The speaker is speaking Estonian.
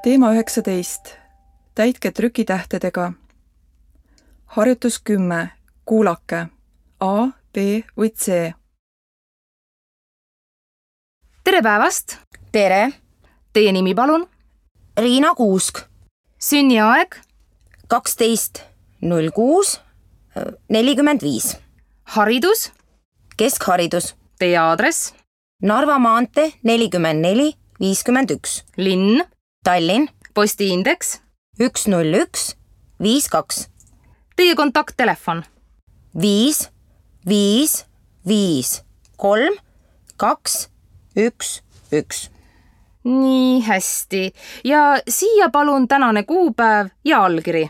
Teema 19. Täitke trükitähtedega. Harjutus 10. Kuulake. A, B või C. Tere päevast! Tere! Teie nimi palun? Riina Kuusk. Sünniaeg? 12.06.45. Haridus? Keskharidus. Teie aadress? Narva maantee 4451. Linn? Tallinn. Postiindeks? 10152. Teie kontakttelefon? 5 5 5 3 2 1 1. Nii hästi. Ja siia palun tänane kuupäev ja allkiri.